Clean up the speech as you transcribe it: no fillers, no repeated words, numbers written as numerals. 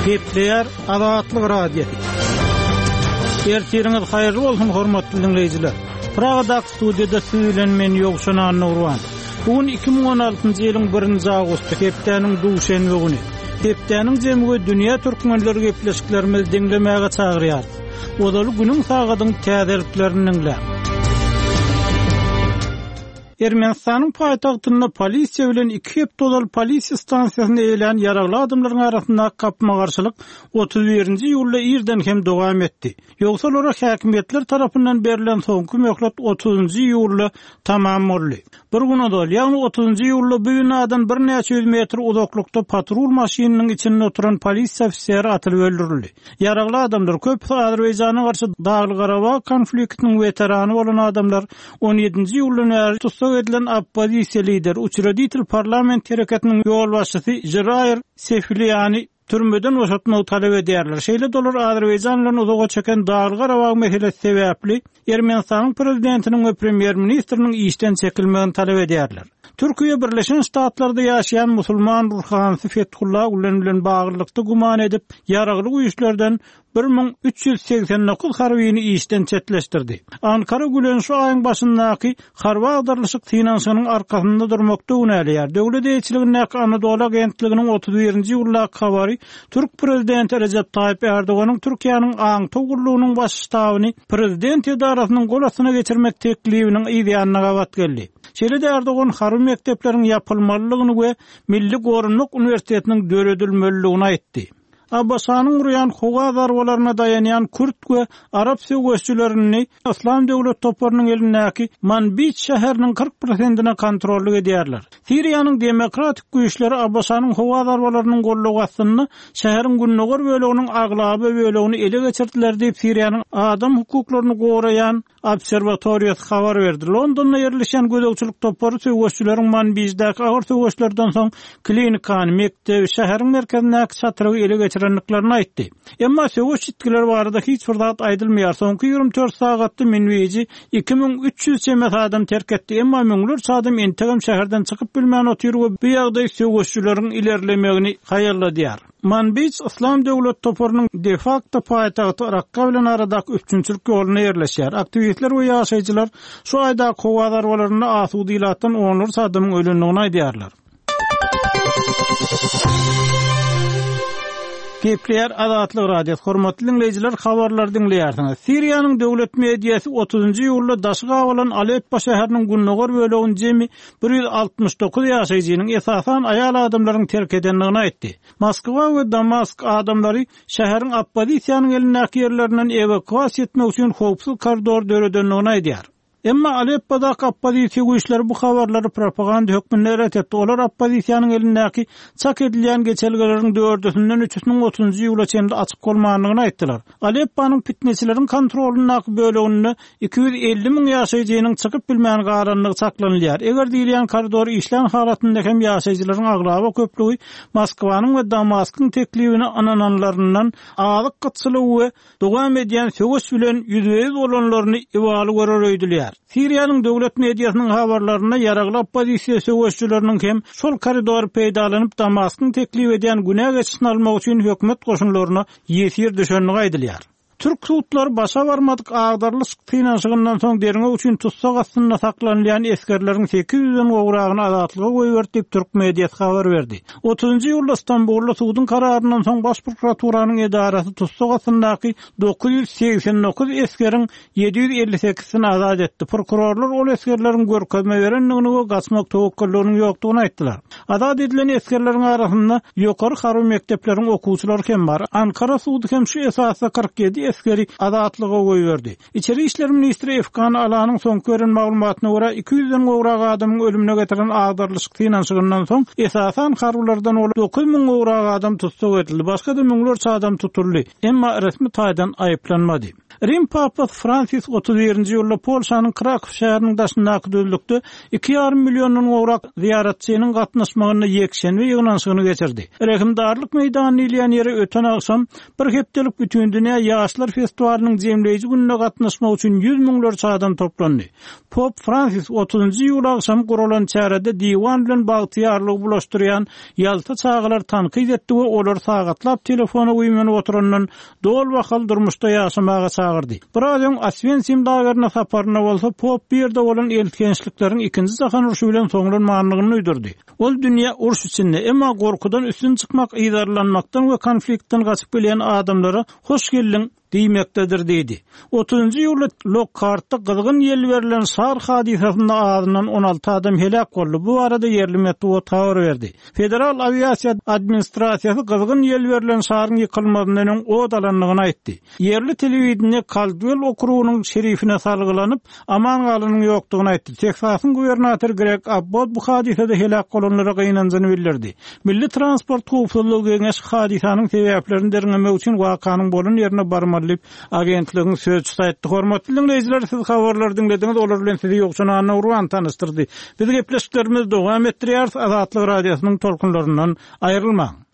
Gepleýär Azatlyk Radiosy. Ertiriňiz haýyrly bolsun, hormatly diňleýjiler. Pragadaky studiýada siz bilen men Ýowşan Annagurban. Bu gün 2016-njy ýylyň 1-nji awgusty, hepdäniň duşenbe güni. Hepdäniň jemi we dünýä türkmenleri gepleşiklerimizi diňlemäge çagyrýarys. Ozaly günüň sagadyň täzeliklerini diňläň. Ermenistanyň paýtagtynda polisiýa bilen iki hepde ozal polisiýa stansiýasyny eýelän ýaragly adamlaryň arasyndaky gapma-garşylyk 31-nji iýulda irden hem dowam etdi. Ýogsa olara häkimiýetler tarapyndan berlen soňky möhlet otuzynjy iýulda tamam boldy. Bir gün ozal, ýagny otuzynjy iýulda bu binadan birnäçe ýüz metr uzaklykda patrul maşynynyň içinde oturan polisiýa ofiseri atylyp öldürildi. Ýaragly adamlar, köpüsi Azerbaýjana garşy Dagly-Garabag konfliktiniň weterany bolan adamlar, on ýedinji iýuldan bäri tussag edilen oppozisiýa lideri, Uçreditel parlament hereketiniň ýolbaşçysy Žiraýr Sefiliýany türmeden boşatmagy talap edýärler. Şeýle-de olar Azerbaýjan bilen uzaga çeken Dagly-Garabag meselesi sebäpli Ermenistanyň prezidentiniň we premýer-ministriniň işden çekilmegini talap edýärler. Türkiýe Birleşen Ştatlarda ýaşaýan musulman ruhanysy Fethullah Gülen bilen baglylykda güman edip, ýaragly güýçlerden 1389 harbyny işden çetleşdirdi. Ankara Gülen şu aýyň başyndaky harby agdarylyşyk synanyşygynyň arkasynda durmakda günäleýär. Döwlet eýeçiligindäki Anadolu agentliginiň 31-nji iýuldaky habary türk prezidenti Rejep Taýyp Erdoganyň Türkiýäniň aňtaw gullugynyň baş ştabyny prezident edarasynyň gol astyna geçirmek teklibiniň yz ýanyna gabat geldi. Şeýle-de Erdogan harby mekdepleriň ýapylmalydygyny we Milli goranmak uniwersitetiniň döredilmelidigini aýtdy. ABŞ-nyň urýan howa zarbalaryna daýanýan kürt we arap söweşçilerini Yslam döwlet toparynyň elindäki Manbij şäheriniň 40 prosentine kontrollyk edýärler. Siriýanyň demokratik güýçleri ABŞ-nyň howa zarbalarynyň goldawy astynda şäheriň gündogar böleginiň aglaba bölegini ele geçirdiler diýip, Siriýanyň adam hukuklaryny goraýan Obserwatoriýasy habar berdi. Londonda ýerleşýän gözegçilik topary söweşçileriň Manbijdäki agyr söweşlerden soň klinikany, mekdebi, şäheriň merkezindäki çatrygy ele geçirendiklerini aýtdy. Emma söweş ýitgileri barada hiç bir zat aýdylmaýar. Soňky 24 sagatda Minbiji 2300 çemesi adam terk etdi, emma müňlerçe adam entegem şäherden çykyp bilmän otyr we bu ýagdaý söweşçileriň ilerlemegini haýalladýar. Manbij Yslam döwlet toparynyň de-fakto paýtagty Rakka bilen aradaky üpjünçilik ýolunda ýerleşýär. Aktiwistler we ýaşaýjylar şu aýdaky howa zarbalarynda asuda ilatdan onlarça adamyň ölendigini aýdýarlar. Gepleýär Azatlyk Radiosy, Hormatly diňleýjiler, habarlary diňleýärsiňiz. Siriýanyň döwlet mediasy otuzynjy iýulda daşy gabalan Aleppo şäheriniň gündogar bölegini jemi 169 ýaşaýjynyň, esasan, aýal adamlaryň terk edendigini aýtdy. Moskwa we Damask adamlary şäheriň oppozisiýanyň elindäki ýerlerinden ewakuasiýa etmek üçin howpsuz koridor döredendigini aýdýar. Emma Aleppodaky oppozisiýa güýçleri bu habarlary propaganda hökmünde ret etdi. Olar oppozisiýanyň elindäki çak edilýän geçelgeleriň dördüsinden üçüsiniň otuzynjy iýula çenli açyk bolmandygyny aýtdylar. Alepponyň pitneçileriň kontrolyndaky böleginde 250 müň ýaşaýjynyň çykyp bilmän galandygy çaklanylýar. Eger diýilýän koridor işlän halatynda hem ýaşaýjylaryň aglaba köplügi Moskwanyň we Damaskyň teklibine ynananlaryndan azyk gytçylygy we dowam edýän söweş bilen ýüzbe-ýüz bolanlaryny ibaly görer öýdülýär. Siriýanyň döwlet mediasynyň habarlarynda ýaragly oppozisiýa söweşijileriniň hem şol koridory peýdalanyp Damaskyň teklip edýän günä geçişini almak üçin hökümet goşunlaryna ýesir düşendigi aýdylýar. Türk sudlary başa barmadyk agdarylyşyk synanyşygyndan soň derňew üçin tussag astynda saklanylýan esgerleriň sekiz ýüzden gowragyny azatlyga goýberdi diýip, türk mediasy habar berdi. Otuzynjy iýulda Stambulda suduň kararyndan soň Baş prokuraturanyň edarasy tussag astyndaky 989 esgeriň 758-sini azat etdi. Prokurorlar ol esgerleriň görkezme berendigini we gaçmak töwekgelliginiň ýokdugyny aýtdylar. Azat edilen esgerleriň arasynda ýokary harby mekdepleriň okuwçylary hem bar. Ankara sudy hem şu esasda 47 esgeri azatlyga goýberdi. Içeri işler ministri Efkan Alanyň soňky beren maglumatyna görä, 200-den gowrak adamyň ölümine getiren agdarylyşyk synanyşygyndan soň, esasan harbylardan bolup 9000 gowrak adam tussag edildi, başga-da müňlerçe adam tutuldy, emma resmi taýdan aýyplanmady. Rim papasy Fransis 31-nji iýulda Polşanyň Krakow şäheriniň daşyndaky düzlükde iki ýarym milliondan gowrak zyýaratçynyň gatnaşmagynda ýekşenbe ýygnanyşygyny geçirdi. Rehimdarlyk meýdany diýilýän ýere öten agşam bir hepdelik Bütindünýä ýaşlar. Ýaşlar festiwalynyň jemleýji gününe gatnaşmak üçin ýüz müňlerçe adam toplandy. Pop Fransis otuzynjy iýul agşamy guralan çärede diwan bilen bagtyýarlygy bulaşdyrýan ýalta çagalary tankyt etdi we olary sagatlap telefona güýmenip oturandan doly bahaly durmuşda ýaşamaga çagyrdy. Biraz öň Oswensim lagerine saparynda bolsa Pop bu ýerde bolan eltgençlikleriň Ikinji jahan urşy bilen soňlanmandygyny duýdurdy. Ol dünýä uruş içinde, emma gorkudan üstün çykmak, yzarlanmakdan we konfliktden gaçyp gelýän adamlara hoş geldiň diýmekdedir diýdi. Otuzynjy iýulda Lokhartda gyzgyn ýel berlen şar hadysasynda azyndan 16 adam heläk boldy. Bu barada ýerli metbugat habar berdi. Federal awiasiýa administrasiýasy gyzgyn ýel berlen şaryň ýykylmazyndan öň ot alandygyny aýtdy. Ýerli telewideniýe Kaldwell okrugynyň şerifine salgylanyp, aman galanyň ýokdugyny aýtdy. Tehsasyň gubernatory Greg Abbott bu hadysada heläk bolanlara gynanjyny bildirdi. Milli transport howpsuzlygy geňeşi hadysanyň sebäplerini derňemek üçin wakanyň bolan ýerine barmaly diýip, agentligiň sözçüsi aýtdy. Hormatly diňleýjiler, siz habarlary diňlediňiz, olar bilen sizi Ýowşan Annagurban tanyşdyrdy. Biz gepleşiklerimizi dowam etdirýäris, Azatlyk Radiosynyň tolkunlaryndan aýrylmaň!